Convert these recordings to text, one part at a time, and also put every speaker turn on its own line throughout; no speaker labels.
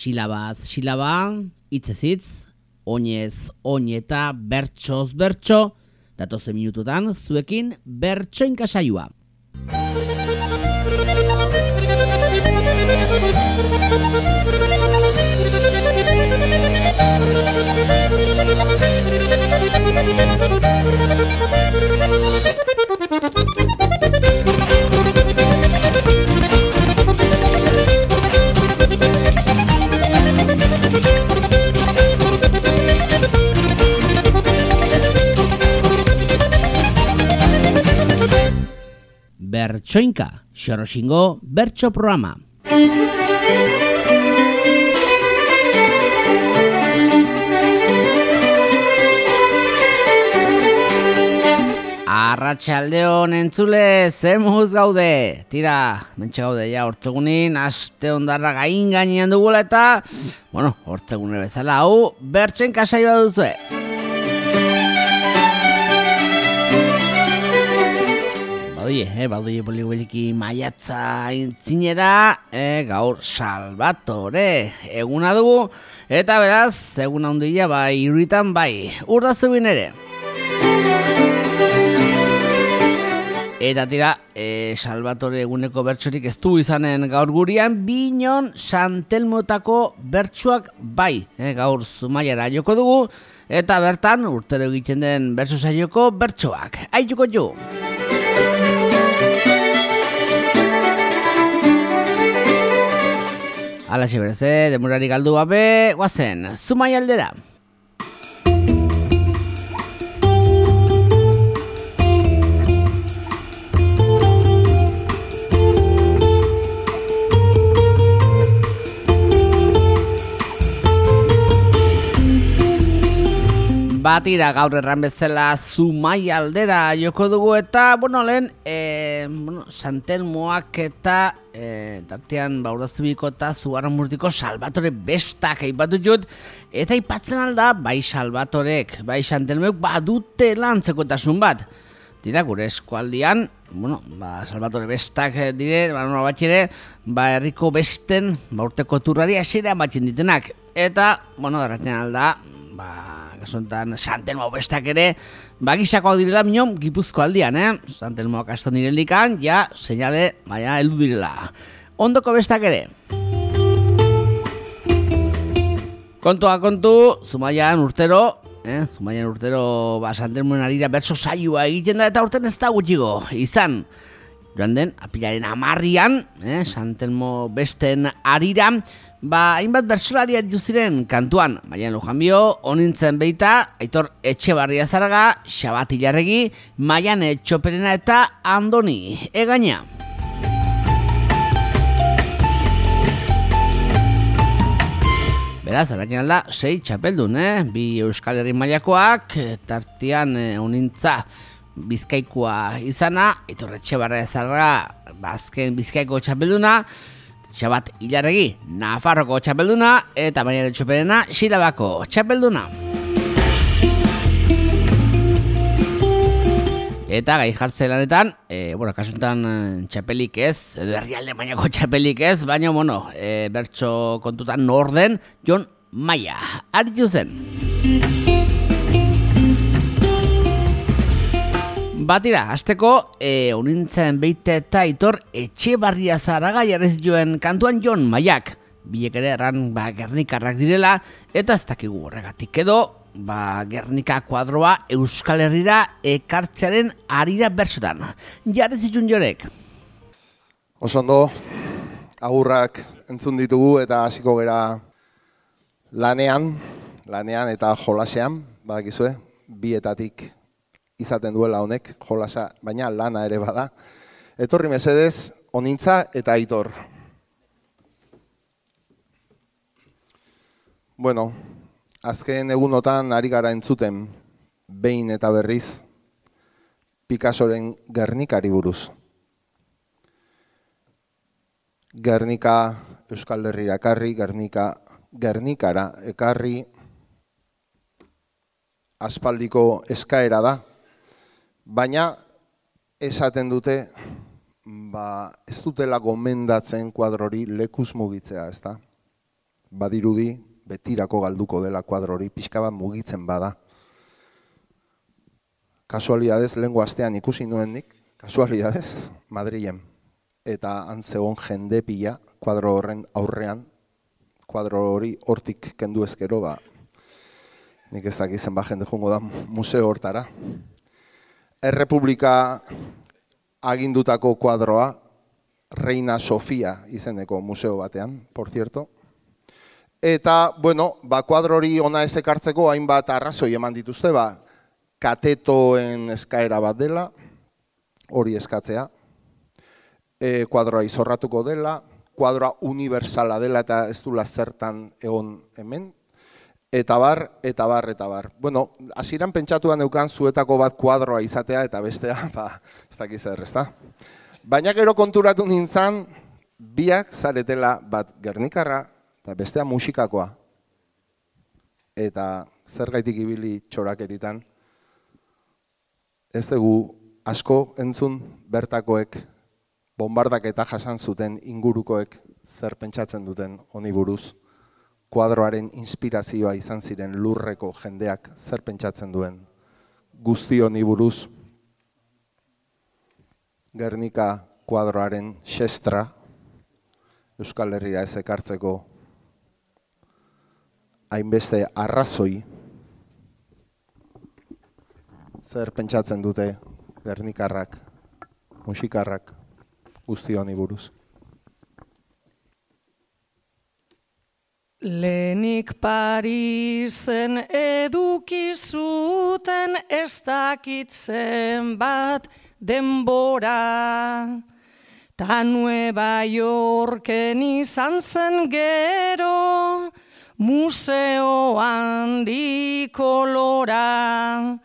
Silabaz silaba, hitzez hitz, oinez oineta, bertsoz bertso, datozen minututan zuekin bertsoinka saioa. Bertsoinka, Xoroxingo bertso programa. Arratsaldeon entzule, zemuz gaude. Tira, mentxe gaude ja hortzegunin, aste ondarra gainean dugula eta, hortzegune bezala hau, bertsoinka saioa duzue. Badoie boli-boliki maiatza intzinera, gaur Salvatore eguna dugu, eta beraz, eguna handia bai irritan bai, urda zubin ere. Eta tira, Salvatore eguneko bertsorik ez du izanen gaur gurian, binon Santelmotako bertsoak bai, gaur Zumaiara joko dugu, eta bertan urtero egiten den bertso saioko bertsoak. Aituko jo! Alaxe bereze, demorari galdu gabe, guazen, Zumaia aldera. Batira gaur erran bezala Zumaia aldera joko dugu eta, lehen, Santelmoak eta tartean Baurazubiko eta Zugarramurdiko Salvatore bestak aipatu jut, eta aipatzen alda, bai Salvatorek, bai Santelmoek badute lantzekotasun bat. Tira, gure eskualdian, Salvatore bestak dire, batxere, herriko besten, urteko turrari asera batzen ditenak. Eta, garratzen alda, gasontan Santelmo bestak ere, gizakoak direla minon Gipuzko aldian, Santelmoak aston direlikan, seinale, heldu direla. Ondoko bestak ere. Kontua kontu, Zumaian urtero, Santelmoen arira bertso saioa egiten da, eta urten ez da gutxigo, izan. Joan den, apilaren 10, Santelmo besten arira, hainbat bertsolariak juziren kantuan, Maian Lujanbio, Onintzen Beita, Aitor Etxebarria Zaraga, Xabat Ilarregi, Maian Etxoperena eta Andoni Egaina. Beraz, arakin alda, 6 txapeldun, 2 Euskal Herri mailakoak, tartean Onintza Bizkaikoa izana, Aitor Etxebarria Zaraga, azken Bizkaiko txapelduna, Xabat Ilarregi, Nafarroko txapelduna, eta Maian Etxoperena, Xilabako txapelduna. Eta gai jartze lanetan, kasuntan txapelik ez, edo herrialde mailako txapelik ez, baina, bertso kontutan norden, Jon Maia, aritu zen. Batira, hasteko, Onintzen Beita eta Aitor Etxebarria Zaraga jarri zituen kantuan Jon Maiak. Bilek ere erran Gernikarrak direla, eta ez dakigu horregatik edo, Gernika kuadroa Euskal Herrira ekartzearen arira bertsotan. Jarri zituen Jorek.
Osondo, agurrak entzun ditugu eta hasiko gera lanean eta jolasean, badakizue, bietatik izaten duela honek, jolasa, baina lana ere bada. Etorri mesedez, Onintza eta Aitor. Azken egunotan ari gara entzuten, behin eta berriz, Picassoren Gernikari buruz. Gernika Euskal Herrira ekarri, Gernikara ekarri, aspaldiko eskaera da, baina esaten dute ez dutela gomendatzen kuadrori lekuz mugitzea, ezta? badirudi betirako galduko dela kuadro hori, pixka bat mugitzen bada. Kasualidadez, lehengo astean ikusi nuen nik, kasualidadez, Madrilen. Eta antzegon jende pila, kuadro horren aurrean, kuadro hori hortik kendu ezkero, nik ez dakizen jende jungo da museo hortara. Errepublika agindutako kuadroa, Reina Sofia izeneko museo batean, por cierto. Eta, bueno, kuadro hori ona ez ekartzeko hainbat arrazoi eman dituzte, katetoen eskaera bat dela, hori eskatzea, kuadroa izorratuko dela, kuadroa universala dela eta ez dula zertan egon hemen, eta bar. Bueno, hasieran pentsatuan neukan zuetako bat kuadroa izatea eta bestea, ez dakiz zer, ezta? Baina gero konturatu nintzen, biak zaretela bat Gernikarra eta bestea musikakoa. Eta zergaitik ibili txorakeritan, ez dugu asko entzun bertakoek, bombardak eta jasan zuten ingurukoek zer pentsatzen duten honi buruz, kuadroaren inspirazioa izan ziren lurreko jendeak zer pentsatzen duen guzti honi buruz. Gernika kuadroaren xestra Euskal Herrira ez ekartzeko hainbeste arrazoi zer pentsatzen dute Gernikarrak, musikarrak guzti honi buruz.
Lehenik Parisen eduki zuten ez dakitzen bat denbora. Ta Nueva Yorken izan zen gero museo handi kolora.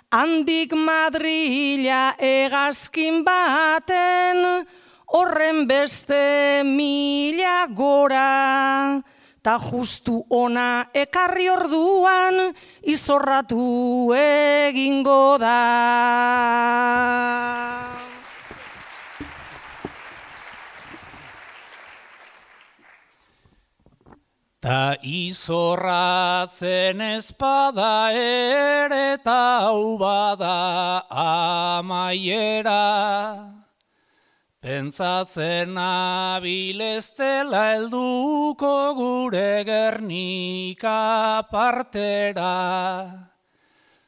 Handik Madrila hegazkin baten horren beste 1000 gora. Ta justu ona ekarri orduan izorratu egingo da.
Ta izorratzen espada ere eta hau bada amaiera. Pentsatzen nabileztela helduko gure Gernika partera.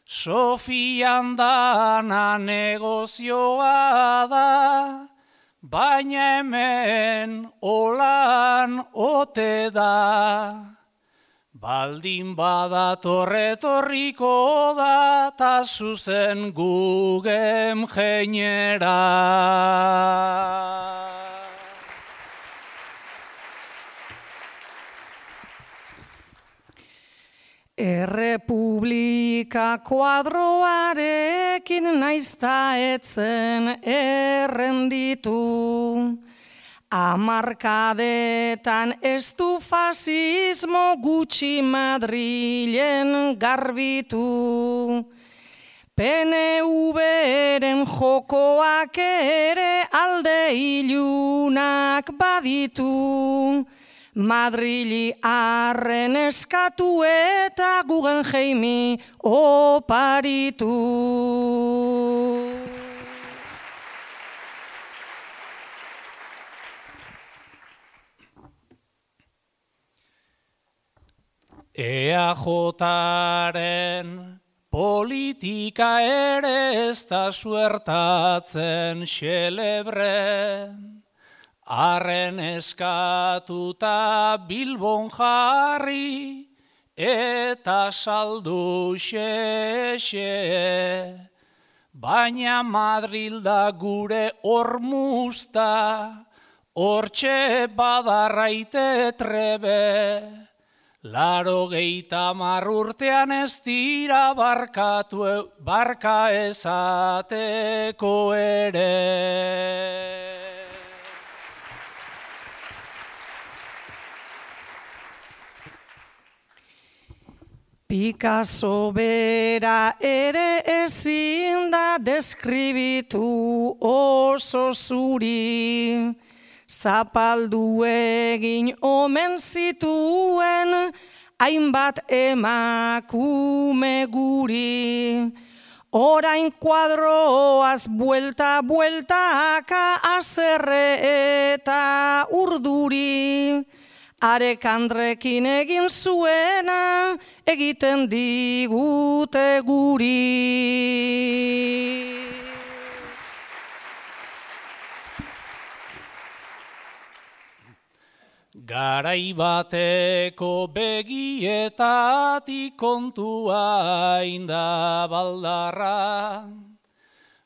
Sofian dana negozioa da, baina hemen olan ote da. Baldin badator etorriko da, ta zuzen gugem jeinera.
Errepublika kuadroarekin naizta etzen errenditu. Hamarkadetan ez du fasismo gutxi Madrilen garbitu. PNV-ren jokoak ere alde ilunak baditu. Madrili arren eskatu eta Guggenheimi oparitu.
EAJaren politika ere ez da suertatzen xelebre. Arren eskatuta Bilbon jarri eta saldu xe. Baina Madril da gure hormuzta, hortxe badarraite trebe. 80 urtean ez dira barka esateko ere.
Picasso bera ere ezin da deskribitu oso zuri. zapaldu egin omen zituen, hainbat emakume guri. Orain kuadroaz buelta-bueltaka azerre eta urduri. Arekandrekin egin zuena egiten digute guri.
Garai bateko begietatik kontua inda baldarra,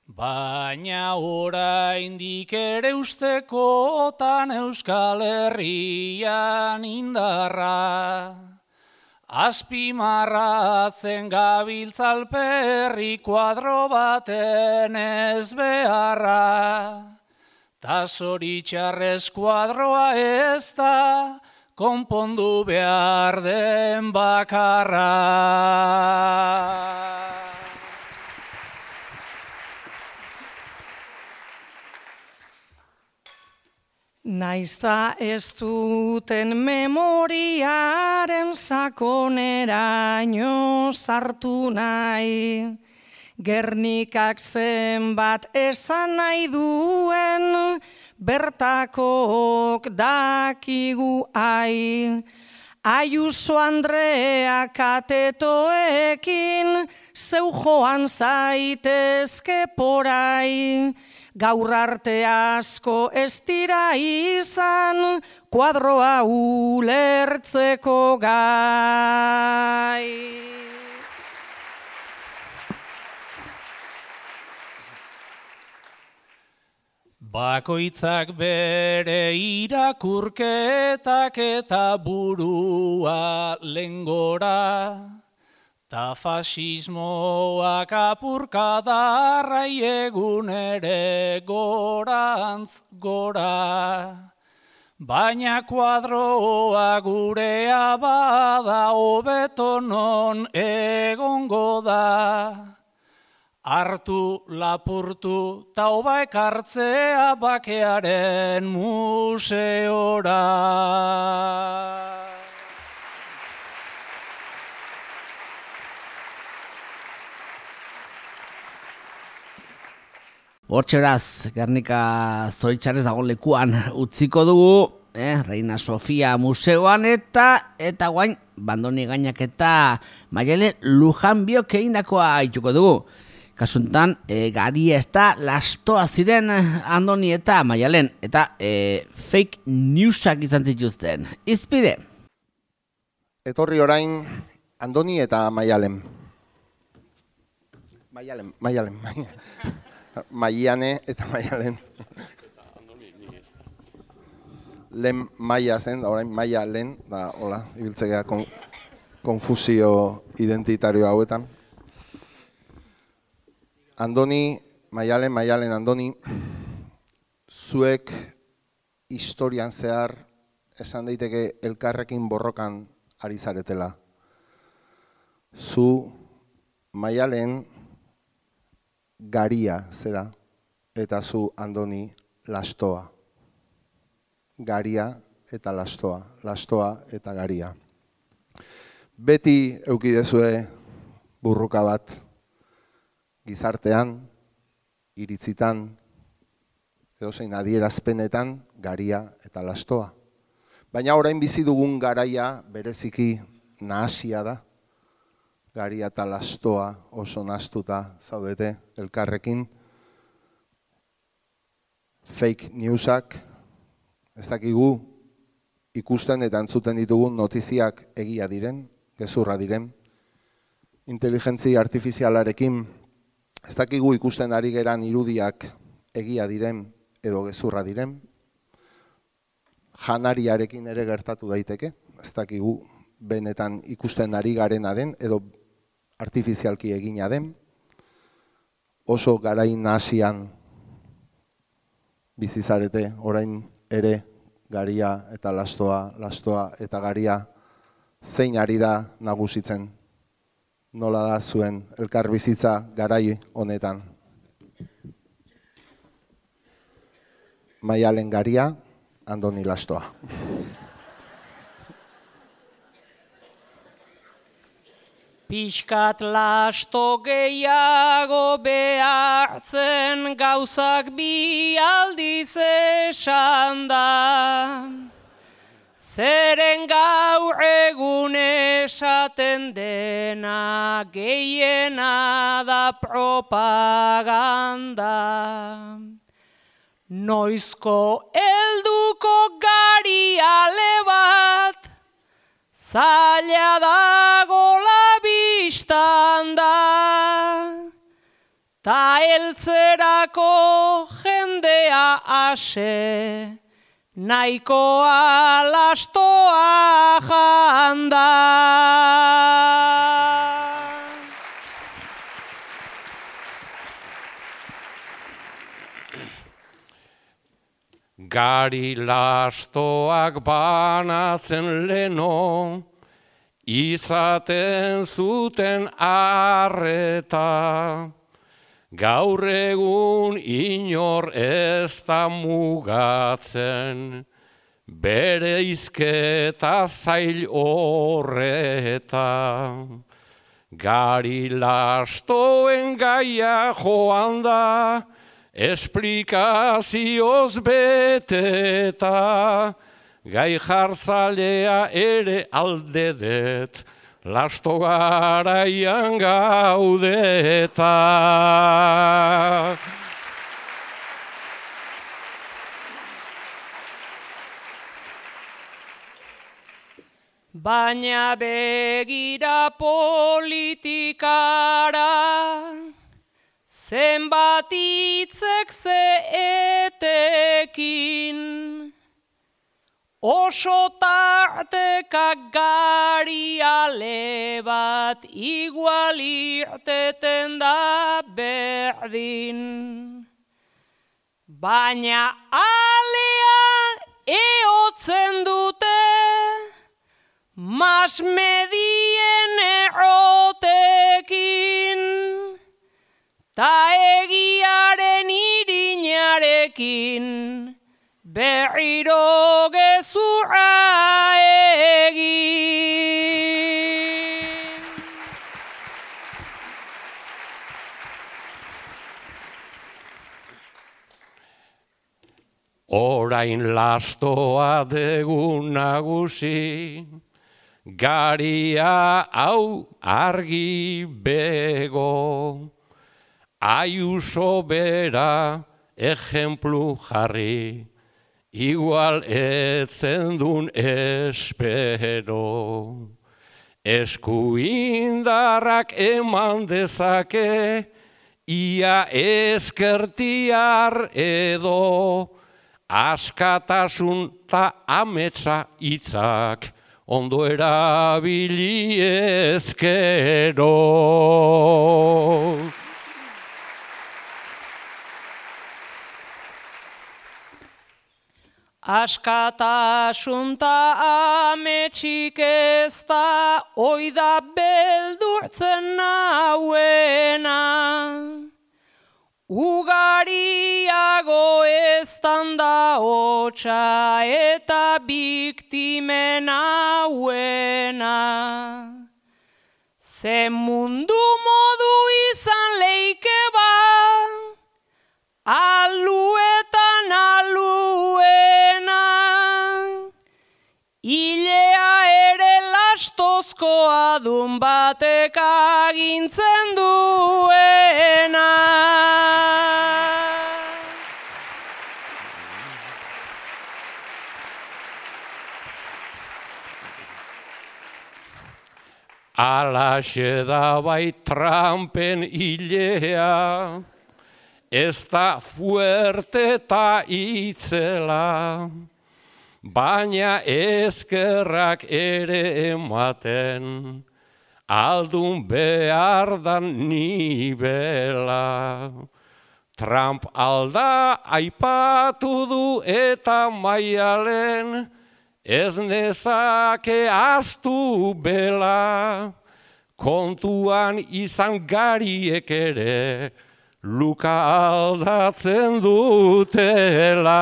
baina oraindik ere ustekotan Euskal Herrian indarra. Azpimarratzen gabiltzalperri kuadro baten ez beharra. Ta zoritxarrez kuadroa ez da konpondu behar den bakarra.
Naizta ez duten memoriaren sakoneraino sartu nahi, Gernikak zenbat esan nahi duen, bertakok dakigu ai. Ayuso Andrea katetoekin, zeu joan zaitezke porai. Gaur arte asko ez dira izan, kuadroa ulertzeko gai.
Bakoitzak bere irakurketak eta burua lengora, ta fasismoak apurkadarrai egun ere gorantz gora. Baina kuadroa gurea bada hobeto non egongo da. Hartu, lapurtu, ta oba ekartzea bakearen museora.
Hortxe beraz, Gernika zoritxarrez dago lekuan utziko dugu, Reina Sofia museoan eta guain bandoni gainak eta Maialen Lujanbiok egindakoa aituko dugu. Kasuntan, Garia ez da lastoa ziren Andoni eta Maialen, eta fake newsak izan zituzten. Izpide.
Etorri orain Andoni eta Maialen. Maialen. Maiane eta Maialen. Lehen Maia zen, da orain Maialen, da hola, ibiltzea konfusio identitario hauetan. Andoni, Maialen, Andoni, zuek historian zehar esan daiteke elkarrekin borrokan ari zaretela. Zu, Maialen, Garia zera, eta zu, Andoni, lastoa. Garia eta lastoa eta garia. Beti eukidezue burruka bat, gizartean, iritzitan, edozein adierazpenetan, garia eta lastoa. Baina orain bizi dugun garaia bereziki nahasia da. Garia eta lastoa oso nahastuta zaudete elkarrekin. Fake newsak, ez dakigu ikusten eta entzuten ditugun notiziak egia diren, gezurra diren. Inteligentzia artifizialarekin ez dakigu ikusten ari geran irudiak egia diren edo gezurra diren. Janariarekin ere gertatu daiteke, ez dakigu benetan ikusten ari garena den edo artifizialki egina den. Oso garain nahasian bizizarete, orain ere garia eta lastoa eta garia zein ari da nagusitzen. Nola da zuen elkar bizitza garai honetan. Maialen Garia, Andoni Lastoa.
Pixkat lasto gehiago behartzen gauzak bi aldiz esan da. Zeren gaur egun esaten dena gehiena da propaganda. Noizko helduko gari ale bat, zaila dago la bistan da, ta heltzerako jendea ase, nahikoa lastoa janda.
Gari lastoak banatzen leno, izaten zuten arreta. Gaur egun inor ez da mugatzen, bere izketa zail horreta. Gari lastoen gaia joan da, esplikazioz beteta, gai jartzalea ere aldedet, lasto garaian gaudeta.
Baina begira politikara, zenbat hitzek zeetekin, oso tarteka gari ale bat igual irteten da berdin. Baina alean eotzen dute, mas medien errotekin, ta egiaren irinarekin, berriro gezurra egin.
Orain lastoa dugu nagusi, garia hau argi bego. Ayuso bera ejemplu jarri, igual etzen dun espero. Eskuindarrak eman dezake, ia ezkertiar edo, askatasun ta ametsa hitzak, ondo erabili ezkero.
Askatasun ta ametsik ez da, oida beldurtzen nauena. Ugariago eztan da hotxa eta biktimen hauena. Ze mundu modu izan leike ba, aluetan aluena. Ilea ere lastozkoa dun batek agintzen duena.
Alaxe da bai Trumpen ilea, ez da fuerte ta itzela, baina ezkerrak ere ematen, aldun behar dan nibela. Trump alda aipatu du eta maialen, ez nezake aztu bela, kontuan izan gariek ere, luka aldatzen dutela.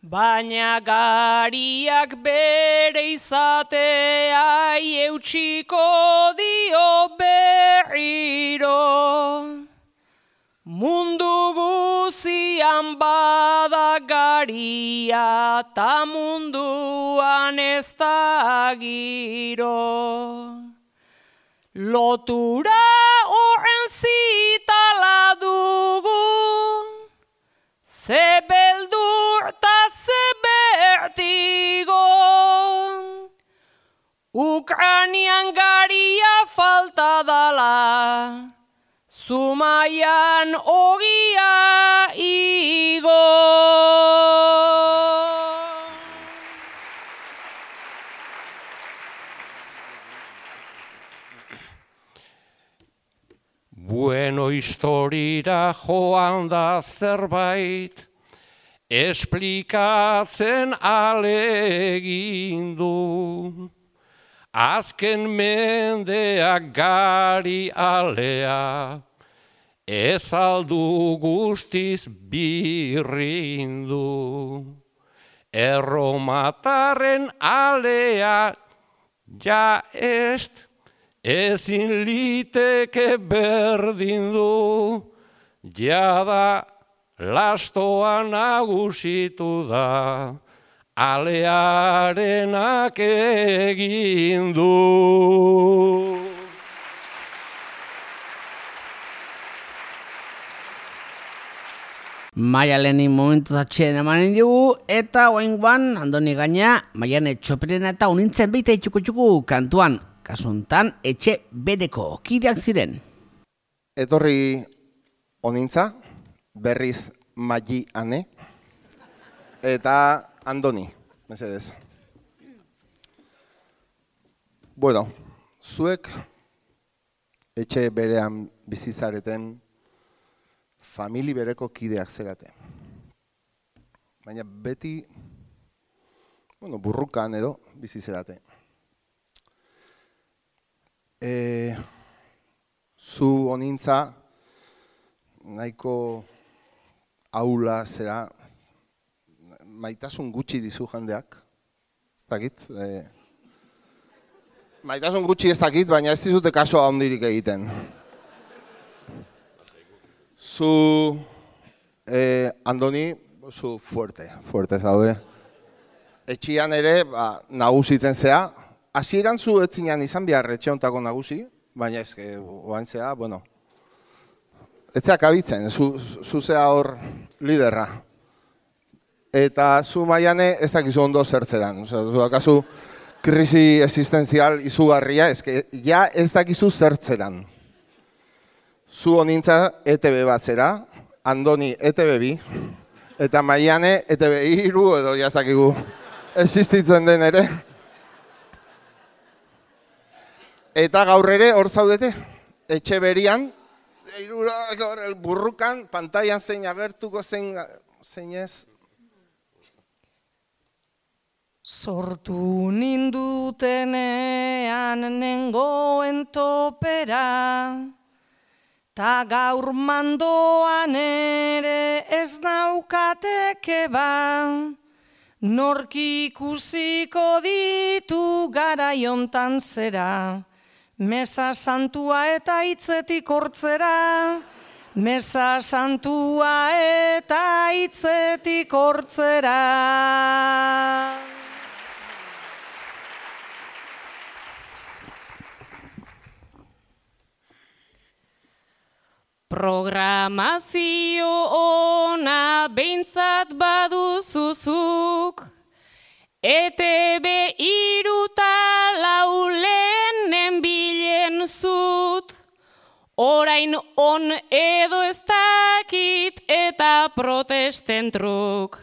Baina gariak bere izatea eutsiko dio berriro. Mundu guzian bada garia, ta munduan ez da giro. Lotura horren zitala dugu, ze beldur ta ze bertigo. Ukranian garia falta dala, Zumaian ogia igo.
Bueno, historira joan da zerbait, esplikatzen alegindu. Azken mendeak gari alea, ez aldu guztiz birrindu. Erromatarren alea ja est, ezin liteke berdindu. Jada lastoa nagusitu da, alearenak egin du.
Maialeni momentuz atxeen emanen dugu, eta oaingoan Andoni gaina, Maiane Txoperena eta unintzen beita itxuku kantuan, kasuntan etxe bereko kideak ziren.
Etorri onintza, berriz Magi Ane, eta Andoni, mesedez. Bueno, zuek etxe berean bizizareten famili bereko kideak zerate. Baina beti, burrukan edo bizizerate. Zu onintza nahiko aula zera, maitasun gutxi dizu jendeak, ez dakit. Maitasun gutxi ez dakit, baina ez dizute kasoa ondirik egiten. Zu, Andoni, zu fuerte zaude. Etxian ere, nagusitzen zea. Hasieran zu etzinean izan behar etxe hontako nagusi, baina ezke, oain zea, etzeak abitzen, zu zea hor liderra. Eta zu Maiane ez dakizu ondo zertzeran. Zu dakazu krisi existenzial izugarria, ja ez dakizu zertzeran. Zu onintza ETB bat zera, Andoni ETB bi, eta Maiane ETB iru edo jazakigu existitzen den ere. Eta gaur ere hor zaudete, etxe berian, burrukan, pantailan zein agertuko zein ez.
Sortu nindutenean nengoen topera, ta gaur mandoan ere ez naukateke ba, nork ikusiko ditu garaiontan zera, mesa santua eta hitzetik hortzera, mesa santua eta hitzetik hortzera. Programazio ona behintzat baduzuzuk, ETB iruta laulenen bilen zut, orain on edo ez dakit eta protesten truk.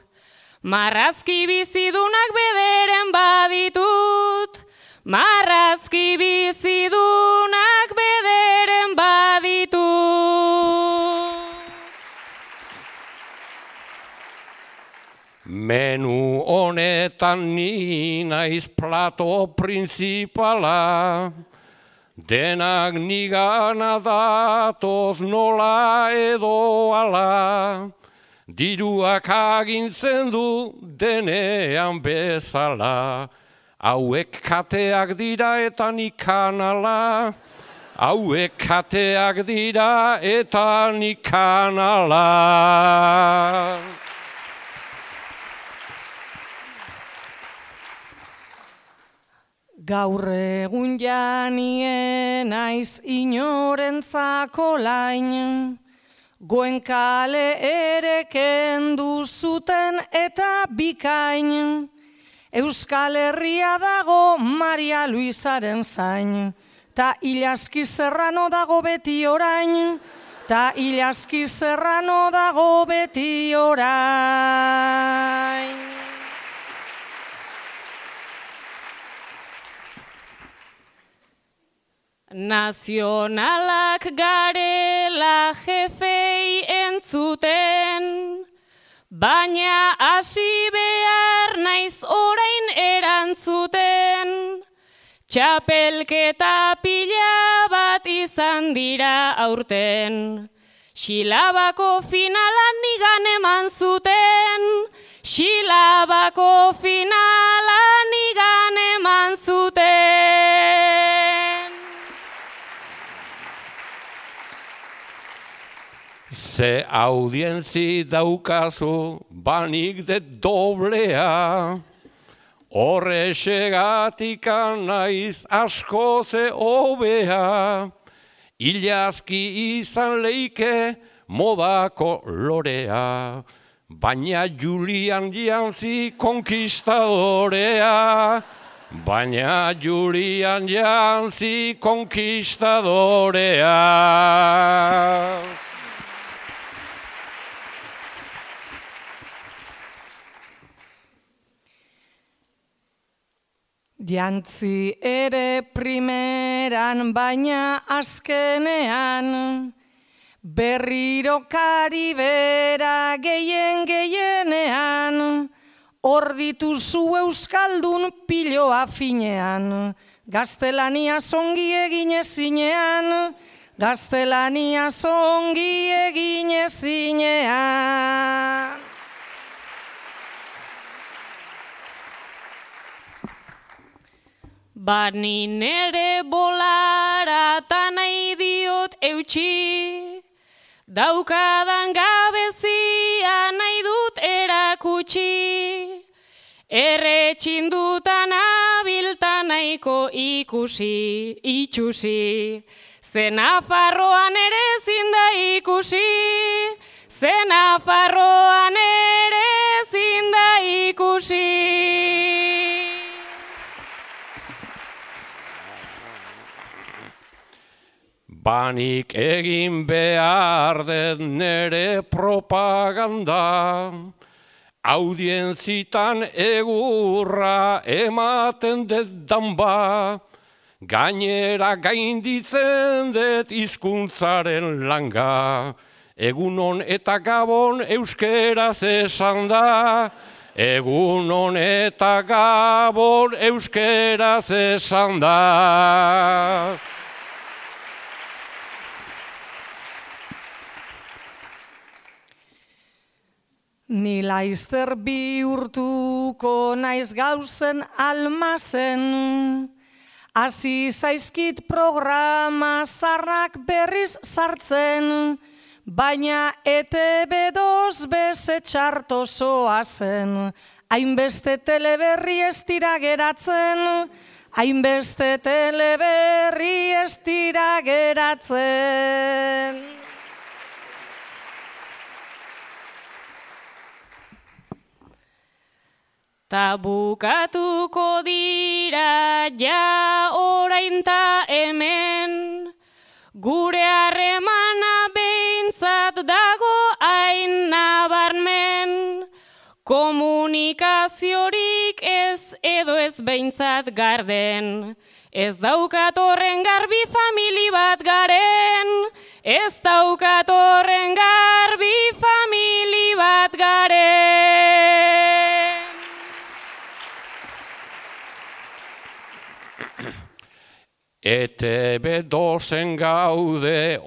Marrazki bizidunak bederen baditut, marrazki bizidunak bederen baditut.
Menu honetan ni naiz plato printzipala, denak nigana datoz nola edo ala, diruak agintzen du denean bezala, hauek kateak dira eta nik kanala, hauek kateak dira eta nik kanala.
Gaur egun janien naiz inorentzako lain, Goenkale ere kendu zuten eta bikain, Euskal Herria dago Maria Luisaren zain, ta Ilaski Serrano dago beti orain, ta Ilaski Serrano dago beti orain. Nazionalak garela jefei entzuten, baina hasi behar naiz orain erantzuten. Txapelketa pila bat izan dira aurten, Xilabako finalan nigan eman zuten, Xilabako finalan nigan eman zuten.
Ze audientzi daukazu banik de doblea, horrexegatik naiz asko ze hobea, Ilaski izan leike modako lorea, baina Julian jantzi konkistadorea, baina Julian jantzi konkistadorea.
Jantzi ere primeran baina azkenean, berriro Karibera gehienean, hor dituzu euskaldun piloa finean, gaztelania zongi egin ezinean, gaztelania zongi egin ezinean. Bani nere bolara ta nahi diot eutxi, daukadan gabezia nahi dut erakutsi, erretxindutan abilta nahiko ikusi, itxusi, ze Nafarroan ere ezin da ikusi, ze Nafarroan ere ezin da ikusi.
Banik egin behar dut nere propaganda, audientzitan egurra ematen dut danba, gainera gainditzen dut hizkuntzaren langa, egunon eta gabon euskeraz esan da, egunon eta gabon euskeraz esan da.
Ni laizter bihurtuko naiz gauzen almazen, hasi zaizkit programa zarrak berriz sartzen, baina ETB2 beze txarto zoazen, hainbeste teleberri ez dira geratzen, hainbeste teleberri ez dira geratzen. Ta bukatuko dira ja orain ta hemen, gure harremana behintzat dago hain nabarmen, komunikaziorik ez edo ez behintzat garden, ez daukat horren garbi famili bat garen, ez daukat horren garbi famili bat garen.
ETB dozen gaude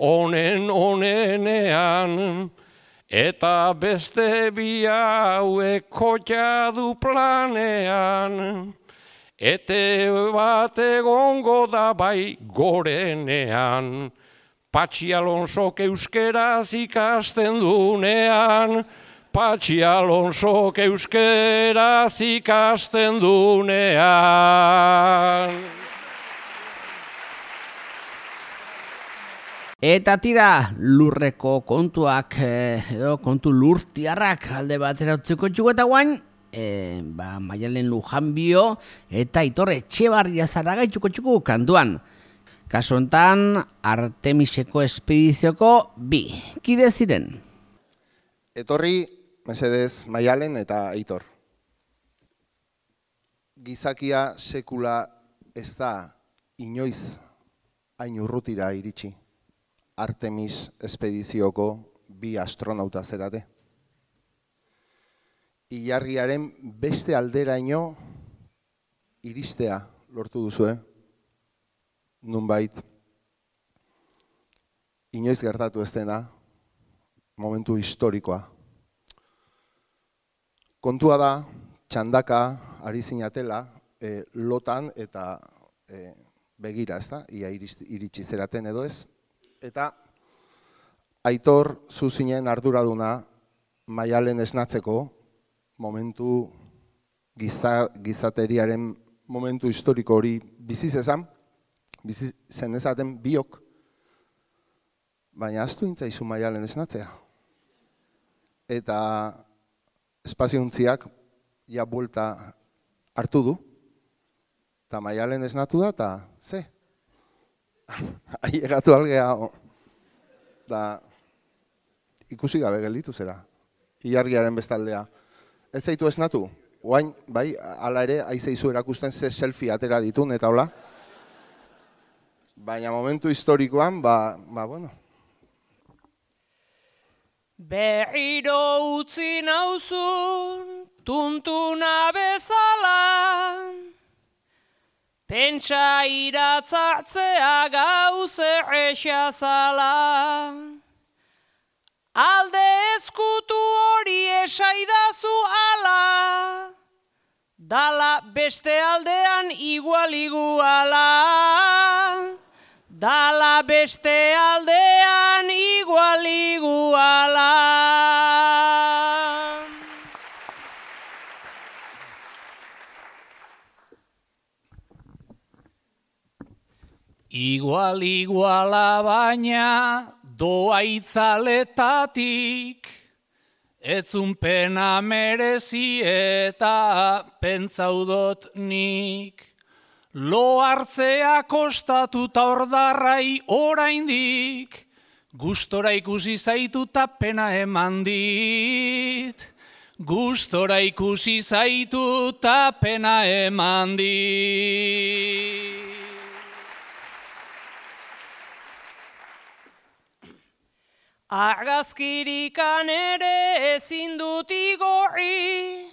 onenean, eta beste bi hauek kotxa du planean. ETB bat egongo da bai gorenean, Patxi Alonsok euskeraz ikasten dunean, Patxi Alonsok euskeraz ikasten dunean.
Eta tira, lurreko kontuak, edo kontu lurtiarrak alde batera utziko txuko eta guain, Maialen Lujanbio eta Aitor Etxebarria Zaraga txuko kantuan. Kasu hontan, Artemiseko espedizioko bi. Kide ziren?
Etorri, mesedez, Maialen eta Aitor. Gizakia sekula ez da inoiz hain urrutira iritsi. Artemis espedizioko bi astronauta zerate. Ilargiaren beste alderaino iristea lortu duzue, nunbait. Inoiz gertatu ez dena, momentu historikoa. Kontua da, txandaka ari zinatela, lotan eta begira, ezta? Ia iritsi zeraten edo ez. Eta Aitor zuzinen arduraduna Maialen esnatzeko momentu gizateriaren momentu historiko hori bizi zen ezaten biok, baina ahaztu intzaizu Maialen esnatzea. Eta espaziontziak ja buelta hartu du, eta Maialen esnatu da, eta ze? Ailegatu algea, da ikusi gabe gelditu zera, ilargiaren bestaldea. Ez zaitu esnatu, oain, bai, ala ere, aizeizu erakusten ze selfie atera ditun, eta hola. Baina momentu historikoan, bueno.
Berriro utzi nauzun, tuntuna bezala, pentsa iratzartzea gauze errexazala. Alde ezkutu hori esaidazu ala, dala beste aldean iguala. Dala beste aldean iguala.
Iguala baina doa itzaletatik, etzun pena merezi eta pentsaudot nik. Lo hartzea kostatuta ordarrai oraindik, gustora ikusi zaituta pena eman dit. Gustora ikusi zaituta pena eman dit.
Argazkirikan ere ezin dut igorri,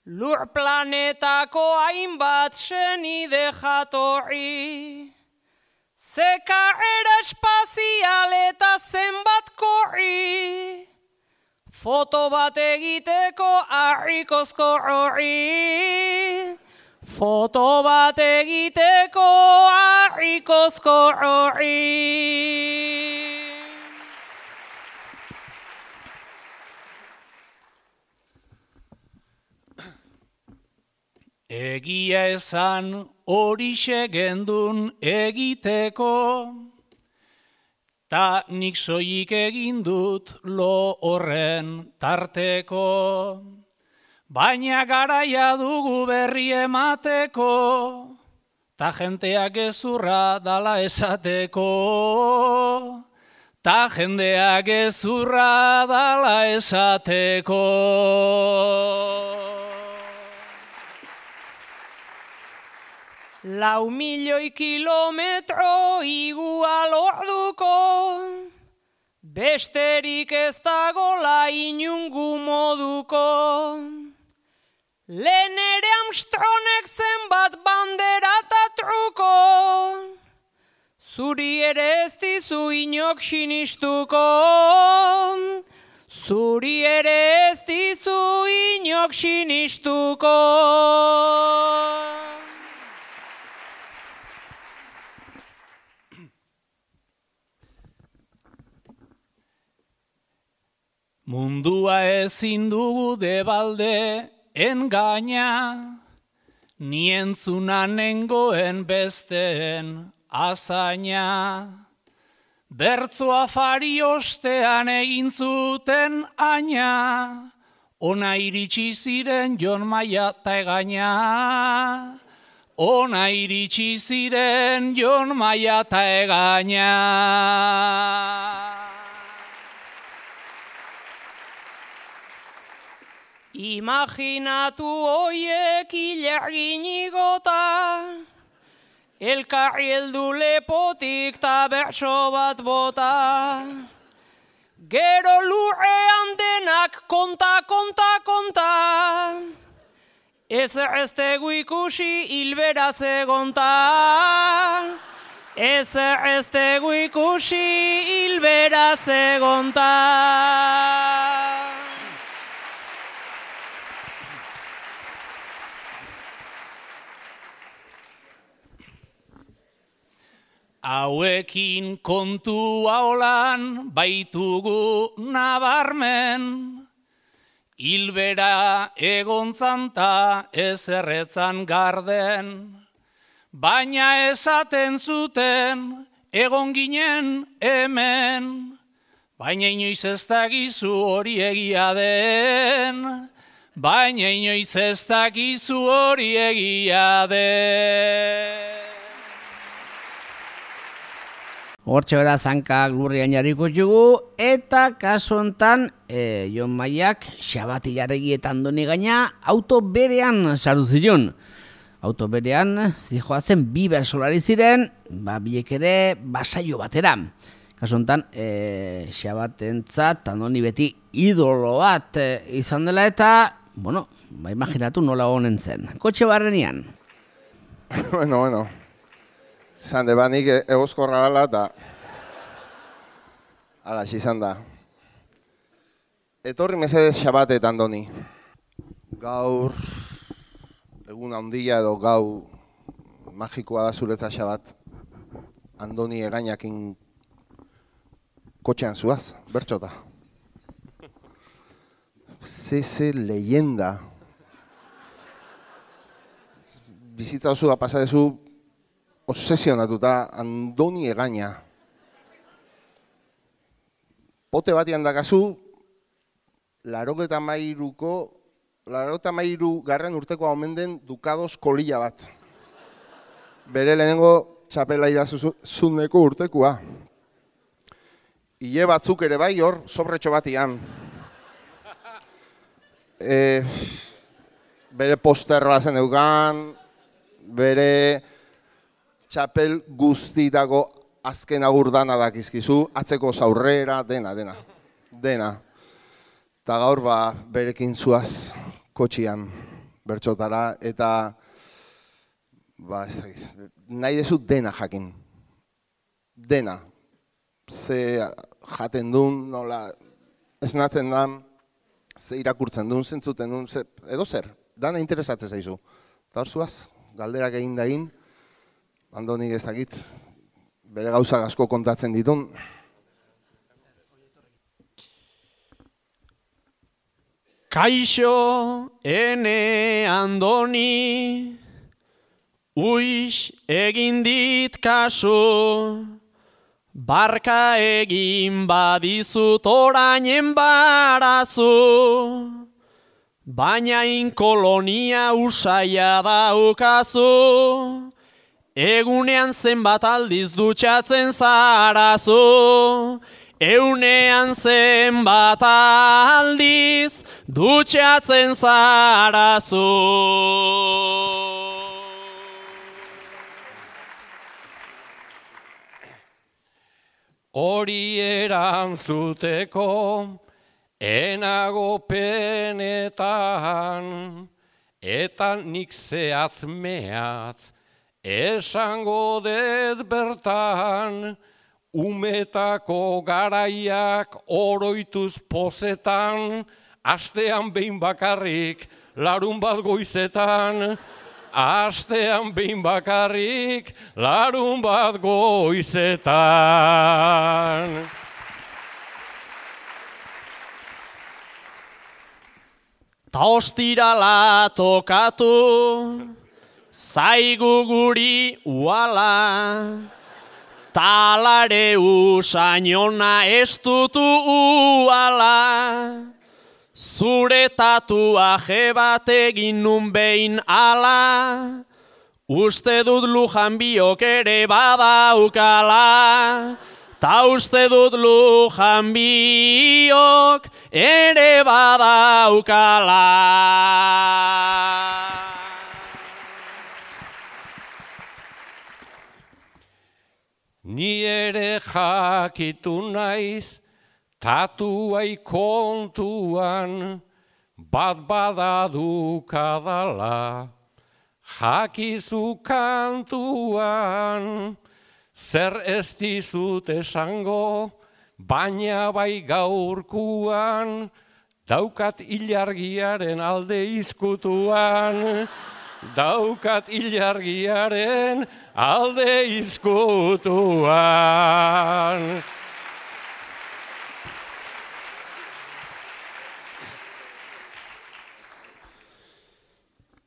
lur planetako hainbat senide jatorri. Ze karrera espazial eta zenbat korri, foto bat egiteko harrikozko horri. Foto bat egiteko harrikozko horri.
Egia esan horixe gendun egiteko, ta nik soilik egin dut lo horren tarteko. Baina garaia dugu berri emateko, ta jenteak gezurra dala esateko. Ta jendeak gezurra dala esateko.
Lau milioi kilometro igual orduko, besterik ez dagola inungu moduko. Lehen ere Armstrongek zenbat bandera eta truko, Zuri ere ez dizu inok sinistuko, zuri ere ez dizu inok sinistuko.
Mundua ezin dugu debalde engaina, ni entzuna nengoen besteen azaina. Bertzo afari ostean egin zuten aina, ona iritsi ziren Jon Maia ta Egaña. Ona iritsi ziren Jon Maia ta Egaña.
Imaginatu hoiek ilargin igota, elkarri heldu lepotik ta bertso bat bota. Gero lurrean denak konta, konta, konta, ezer ez tegu ikusi hilberaz egonta. Ezer ez tegu ikusi hilberaz egonta.
Hauekin kontua olan baitugu nabarmen, hilbera egontzan ta ezerretzan garden, baina esaten zuten egon ginen hemen, baina inoiz ez dakizu hori egia den, baina inoiz ez dakizu hori egia den.
Hortxe bera zankak lurrian jarriko jugu, eta kasu hontan Jon Maiak Xabati Jarregi eta Andoni Egaña auto berean sartu zion. Auto berean zijoazen bi bersolari ziren, biek ere basaio batera. Kasu hontan Xabatentzat Andoni beti idolo bat izan dela eta, bueno, imaginatu nola honen zen. Kotxe barrenean.
Bueno. Zande banik egozkorra gala eta ala izan da. Etorri mesedez Xabate eta Andoni. Gaur, egun handia edo gau magikoa da zuretza Xabat. Andoni Egañakin kotxean zuaz, bertxota. Ze leyenda. Bizitza osua pasadezu obsesionatuta Andoni Egaña. Pote batian dakazu, 83 garren urtekoa omen den Dukados kolila bat. Bere lehenengo txapela irazuzuneko urtekoa. Ile batzuk ere bai hor, sobretxo batian. Bere posterroa zen eugan, bere txapel guztitako azken agur dana dakizkizu, atzeko zaurrera, dena. Eta gaur berekin zuaz kotxian bertxotara, eta ez dakiz, nahi dezu dena jakin. Dena. Ze jaten duen, nola esnatzen da, ze irakurtzen duen, zentzuten duen, edo zer, dana interesatzen zaizu. Eta hor zuaz, galderak egin dain, Andonik ez dakit, bere gauzak asko kontatzen ditun.
Kaixo, ene Andoni, uix egin dit kasu, barka egin badizut orainen barazu, baina inkolonia usaia daukazu, egunean zenbat aldiz dutxatzen zarazu, eunean zenbat aldiz dutxatzen zarazu.
Hori erantzuteko enago penetan, eta nik zehatz mehatz esango dut bertan, umetako garaiak oroituz pozetan, astean behin bakarrik, larun bat goizetan, astean behin bakarrik, larun bat goizetan.
Ta ostirala tokatu, zaigu guri uala, talare usainona ez dutu uala, zure tatuaje bat egin nun behin ala, uste dut Lujan biok ere badaukala, ta uste dut Lujan biok ere badaukala.
Ni ere jakitu naiz, tatuai kontuan, bat badadukadala, jakizu kantuan, zer ez dizut esango, baina bai gaurkuan, daukat ilargiaren alde izkutuan, daukat ilargiaren alde izkutuan.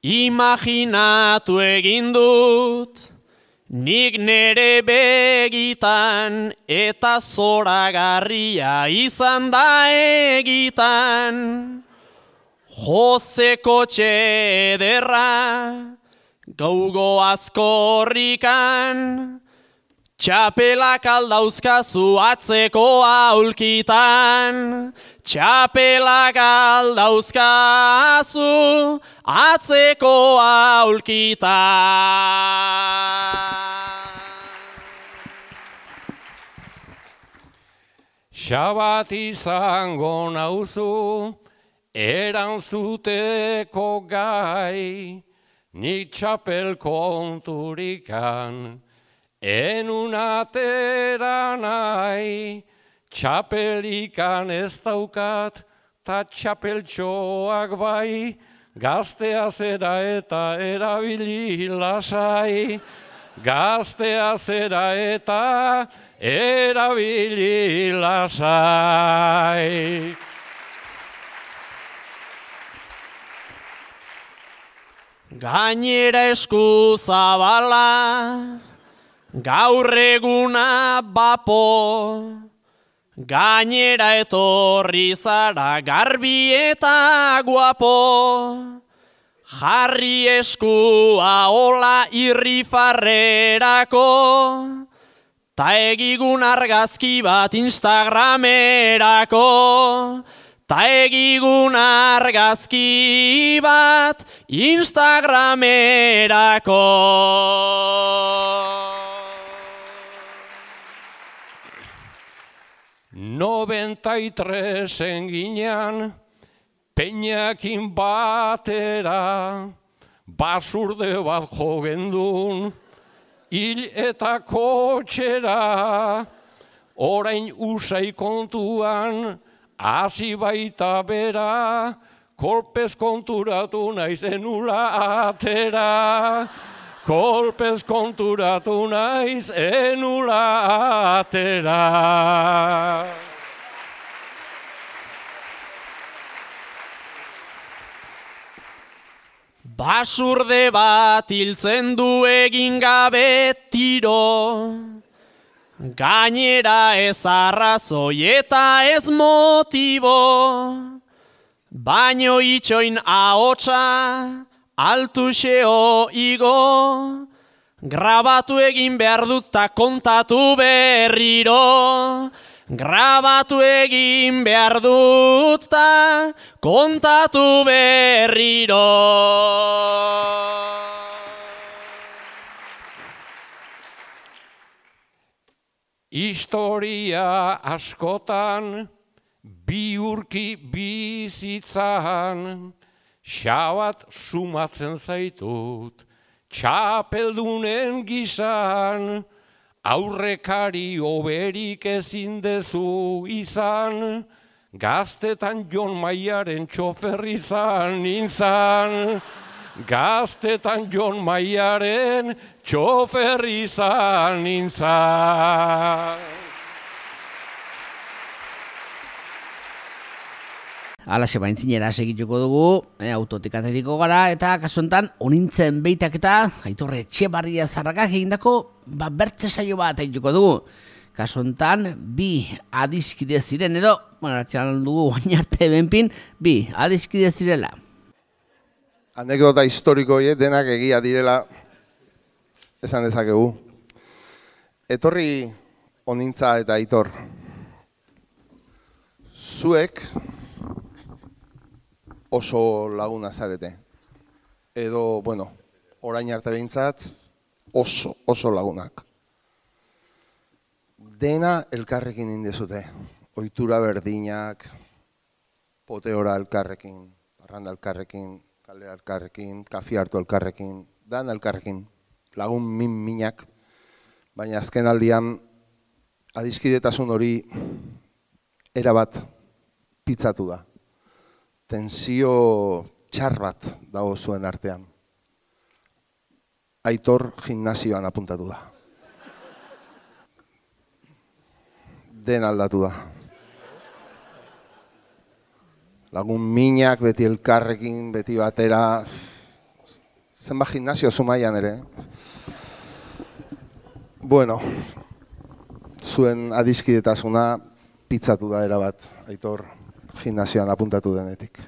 Imaginatu egin dut, nik nere begitan, eta zoragarria izan da egitan. Jose kotxe ederra, gaugo azkorrikan, txapelak aldauzkazu atzeko aulkitan, txapelak aldauzkazu atzeko aulkitan.
Xabat izango nauzu, erantzuteko gai, nik txapel konturikan, enun atera nahi, txapelikan ez daukat, ta txapeltxoak bai, gaztea zera eta erabili lasai, gaztea zera eta erabili lasai.
Gainera esku zabala, gaur eguna bapo, gainera etorri zara garbi eta guapo, jarri eskua hola irrifarrerako, ta egigun argazki bat Instagramerako, ta egigun argazki bat Instagramerako.
Nobentresen ginean, peinakin batera, basurde bat jogendun, hil eta kotxera, orain usai kontuan, hasi baita bera, kolpez konturatu naiz enula atera. Kolpez konturatu naiz enula atera.
Basurde bat hiltzen du egin gabe tiro, gainera ez arrazoi eta ez motibo, baino itxoin ahotsa, altuxeo igo, grabatu egin behar dut ta kontatu berriro, grabatu egin behar dut ta kontatu berriro.
Historia askotan, biurki bizitzan, xabat sumatzen zaitut, txapeldunen gizan, aurrekari oberik ezin dezu izan, gaztetan Jon Maiaren txofer izan nintzan. Gaztetan Jon Maiaren txofer izan nintzan.
Alaxe baintzinera segituko dugu, autotik ateriko gara, eta kasu honetan onintzen beitak eta Aitor Etxebarria Zarragak egindako bertze saio bat egituko dugu. Kasu honetan, bi adiskide ziren edo, atxalan dugu oinarte benpin, bi adiskide zirela.
Anekdota historiko denak egia direla esan dezakegu. Etorri onintza eta Aitor. Zuek oso laguna zarete. Edo, bueno, orain arte behintzat oso lagunak. Dena elkarrekin indezute. Ohitura berdinak, poteora elkarrekin, parranda elkarrekin, kalera elkarrekin, kafi hartu elkarrekin, dan elkarrekin, lagun minak, baina azken aldian adiskidetasun hori erabat pitzatu da. Tensio txar bat dago zuen artean. Aitor gimnasioan apuntatu da. Den aldatu da. Lagun minak, beti elkarrekin, beti batera. Zenbat gimnasio zumaian ere. Bueno, zuen adiskidetasuna pitzatu da erabat, Aitor gimnasioan apuntatu denetik.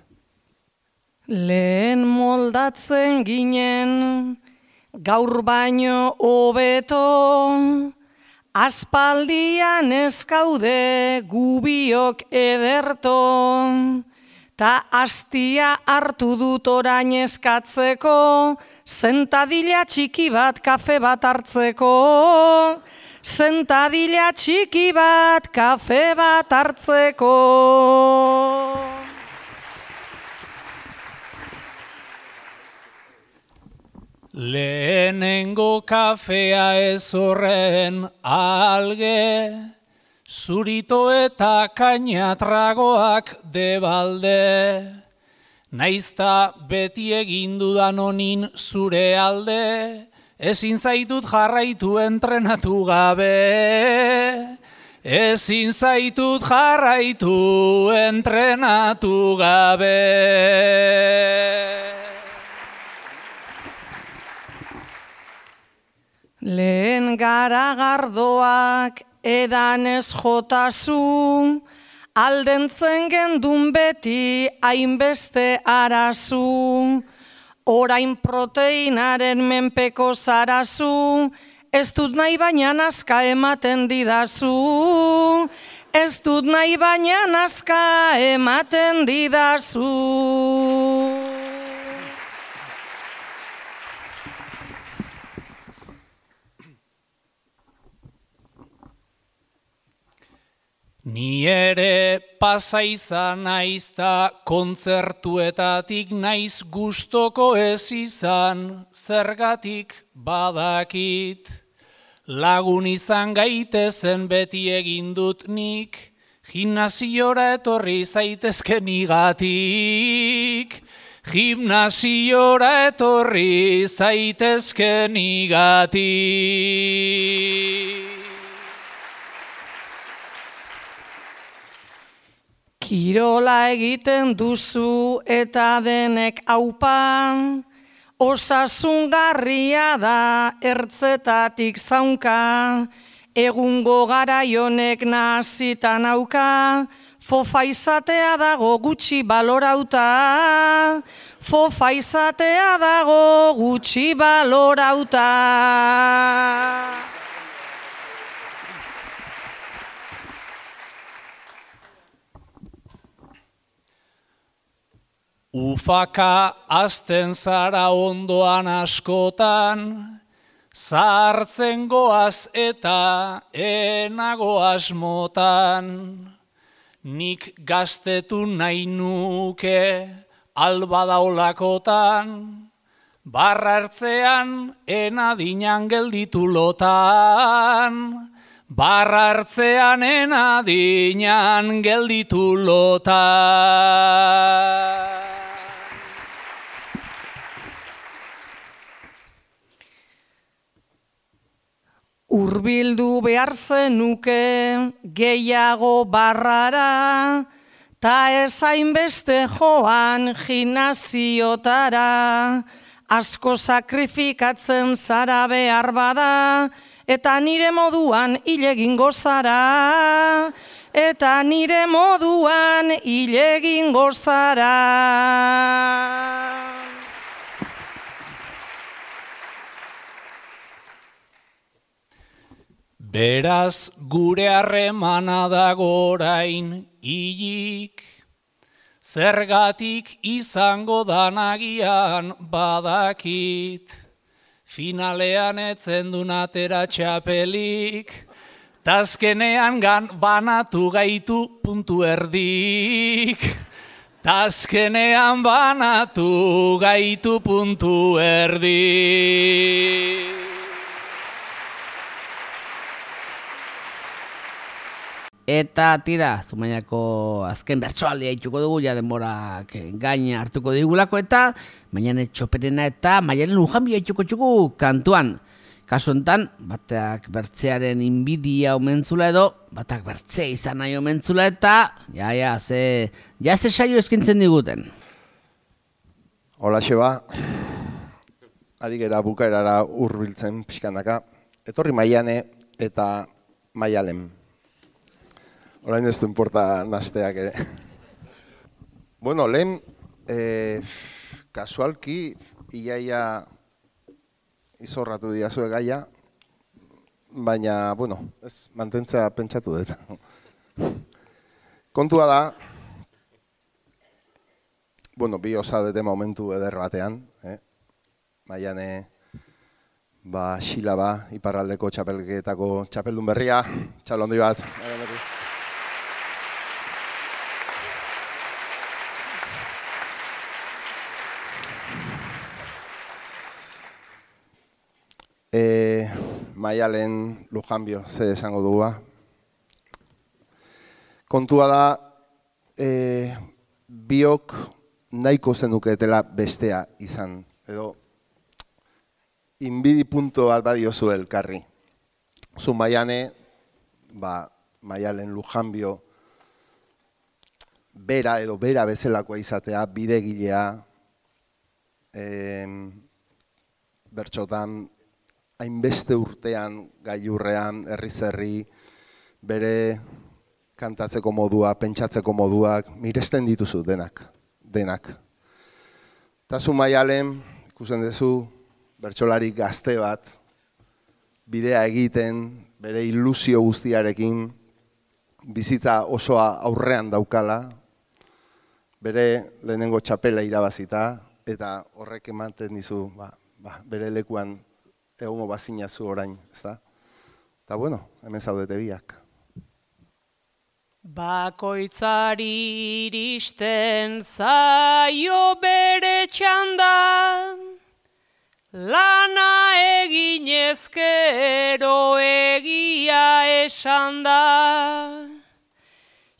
Lehen moldatzen ginen, gaur baino hobeto, aspaldian ez gaude gubiok ederto, ta hastia hartu dut orain eskatzeko, sentadila txiki bat kafe bat hartzeko, sentadila txiki bat kafe bat hartzeko.
Lehenengo kafea ez horren alge, zurito eta kainatragoak debalde, naizta beti egin dudan honin zure alde, ezin zaitut jarraitu entrenatu gabe, ezin zaitut jarraitu entrenatu gabe.
Lehen garagardoak edan ez jotazu, aldentzen gendun beti hainbeste arazu, orain proteinaren menpeko zarazu, ez dut nahi baina nazka ematen didazu, ez dut nahi baina nazka ematen didazu.
Ni ere pasa izan naizta kontzertuetatik naiz gustoko ez izan, zergatik badakit. Lagun izan gaitezen beti egin dut nik, gimnasiora etorri zaitezkenigatik. Gimnasiora etorri zaitezkenigatik.
Kirola egiten duzu eta denek aupa, osasungarria da ertzetatik zaunka, egungo garaionek nahazita nauka, fofa izatea dago gutxi balorauta, fofa izatea dago gutxi balorauta.
Ufaka azten zara ondoan askotan, zahartzen goaz eta enago asmotan. Nik gaztetu nahi nuke albadaolakotan, Barrartzean enadinan gelditu lotan, barrartzean enadinan gelditu lotan.
Urbildu behar zenuke gehiago barrara, ta ezain beste joan gimnasiotara, asko sakrifikatzen zara behar bada, eta nire moduan hile egingo zara, eta nire moduan hile egingo zara.
Beraz gure harremana dago orain hilik, zergatik izango danagian badakit, finalean etzen dun atera txapelik, tazkenean banatu gaitu puntu erdik, tazkenean banatu gaitu puntu erdik.
Eta tira, Zumaiako azken bertsoaldia ituko dugu, ja denborak gaina hartuko digulako, eta Maiane Txoperena eta Maialen Lujanbio ituko txuku kantuan. Kasu enten, batak bertzearen inbidia omentzula edo, batak bertzea izan nahi omentzula eta, ze saio eskintzen diguten.
Hola, Xeba. Ari gera bukaerara hurbiltzen pixkanaka. Etorri Maiane eta Maialen. Orain ez du importa nasteak ere. Bueno, lehen, kasualki, iaia izorratu diazue gaia, baina, bueno, ez mantentzea pentsatu dut. Kontua da, bueno, bi osadete momentu eder batean, Maiane, Xilaba, iparraldeko txapelketako txapeldun berria, txalondi bat. Maialen Lujanbio, ze esango dugu. Kontua da, biok nahiko zenuketela bestea izan, edo inbidi punto bat badiozu elkarri. Zu Maiane, Maialen Lujanbio, bera edo bera bezalakoa izatea, bidegilea, bertxotan, hainbeste urtean, gailurrean, herri-zerri, bere kantatzeko modua, pentsatzeko moduak, miresten dituzu denak. Eta zu Maialen, ikusten duzu, bertsolari gazte bat, bidea egiten, bere ilusio guztiarekin, bizitza osoa aurrean daukala, bere lehenengo txapela irabazita, eta horrek ematen dizu, bere lekuan egongo bazinazu orain, ezta? Eta bueno, hemen zaudete biak.
Bakoitzari iristen zaio bere txanda, lana eginezkero egia esan da.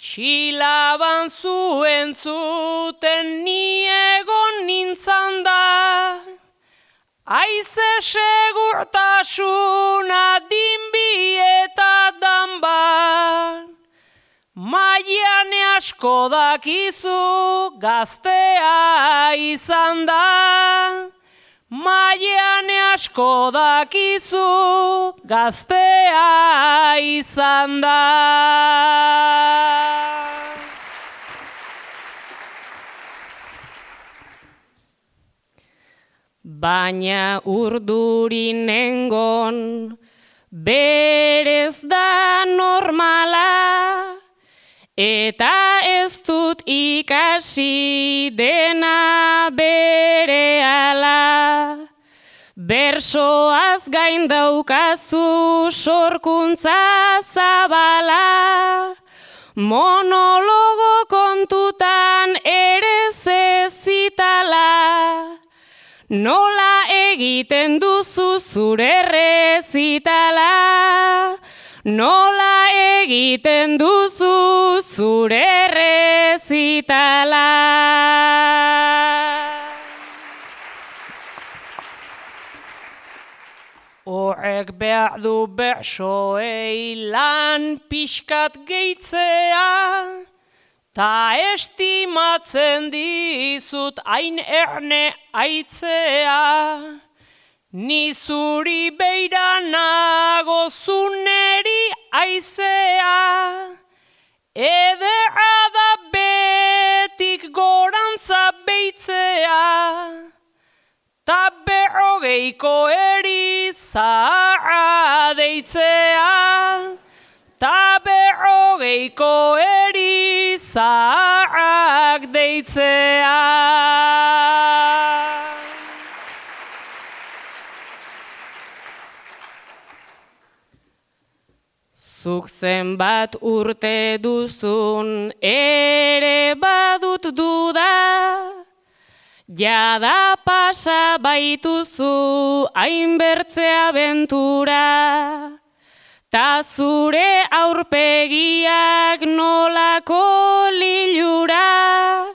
Xilaban zuen zuten ni egon nintzan da, aize segurtasuna dinbi eta danbar. Maiane asko dakizu gaztea izan da, Maiane asko dakizu gaztea izan da. Baina urdurinengon berez da normala, eta ez dut ikasi dena berehala. Bersoaz gain daukazu sorkuntza zabala, monologo kontutan ere zezitala. Nola egiten duzu zure errezitala? Nola egiten duzu zure errezitala?
Horrek behar du bersoei lan pixkat gehitzea, ta estimatzen dizut hain erne aitzea. Ni zuri beira nago zuneri aizea, ederra da betik gorantza beitzea, ta 40ko erizaharra deitzea, ta 40ko erizaharrak deitzea.
Zuk zenbat urte duzun ere badut duda, jada pasa baituzu hainbertze abentura, ta zure aurpegiak nolako lilura,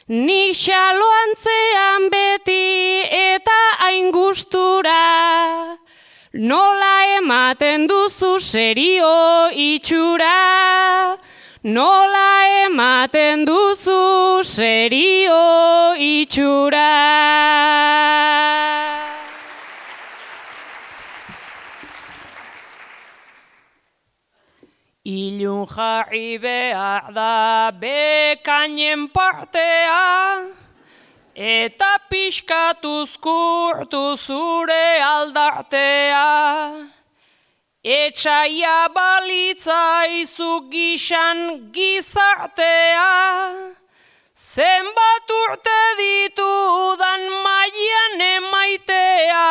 nik xaloantzean beti eta hain gustura, nola ematen duzu serio itxura, nola ematen duzu serio itxura.
Ilun jarri behar da bekainen partea, eta pixkatuz kurtu zure aldartea. Etxaia balitzaizu gixan gizartea, zenbat urte ditudan mailan emaitea.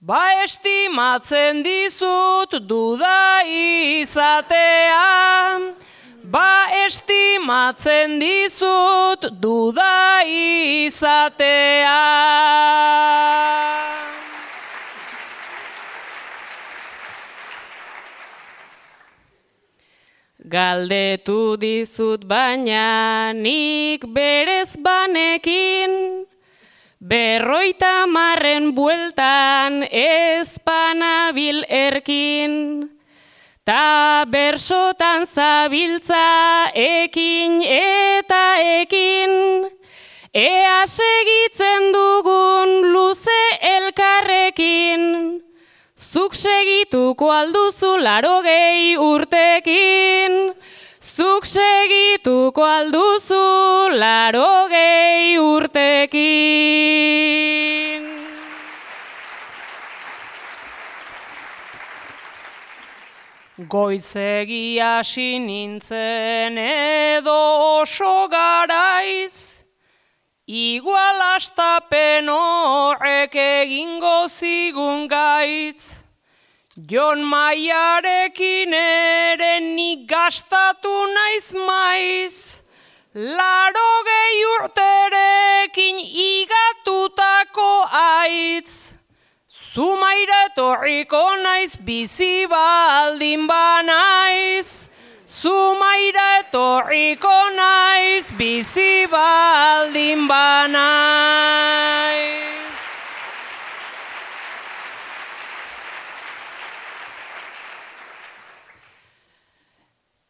Ba estimatzen dizut duda izatea, ba estimatzen dizut duda izatea.
Galdetu dizut baina nik berez banekin, 50 bueltan ez panabil erkin, ta bersotan zabiltza ekin eta ekin, ea segitzen dugun luze elkarrekin, zuk segituko alduzu 80 urtekin, zuk segituko alduzu 80 urtekin.
Goizegi hasi nintzen edo oso garaiz, igual astapen horrek egingo zigun gaitz. Jon Maiarekin ere nik gastatu naiz maiz, 80 urterekin igatutako aitz. Zumaira etorriko naiz bizi baldin banaiz, Zumaira etorriko naiz bizi baldin banaiz.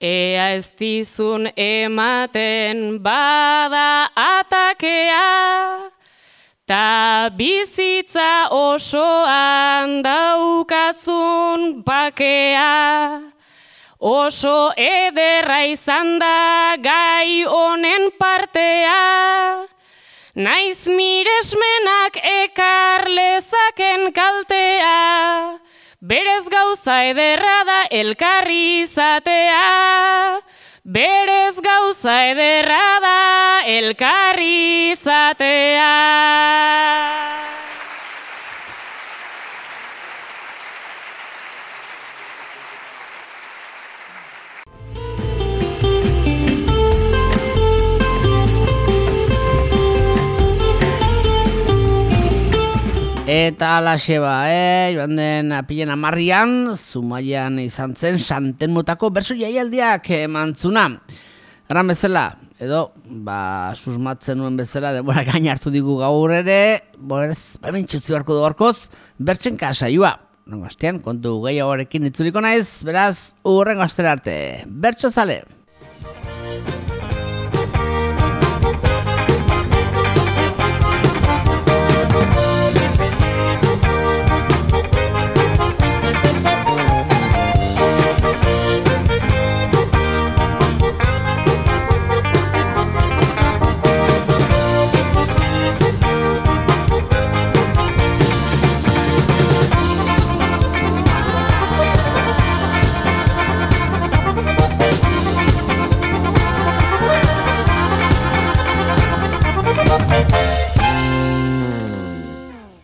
Ea ez dizun ematen bada atakea, ta bizitza osoan daukazun bakea. Oso ederra izan da gai honen partea, naiz miresmenak ekar lezaken kaltea. Berez gauza ederra da elkarri izatea, berez gauza ederra da elkarri izatea.
Eta alaxe joan den apilen 10an, Zumaian izan zen Santelmotako bertso jaialdiak emantzuna. Gran bezala, edo, susmatzen nuen bezala, denbora gain hartu digu gaur ere, hemen txutzi barko du gorkoz, bertsen kasaioa. Rengo astean, kontu gehiagorekin itzuliko naiz, beraz, urrengo astera arte. Bertso zale!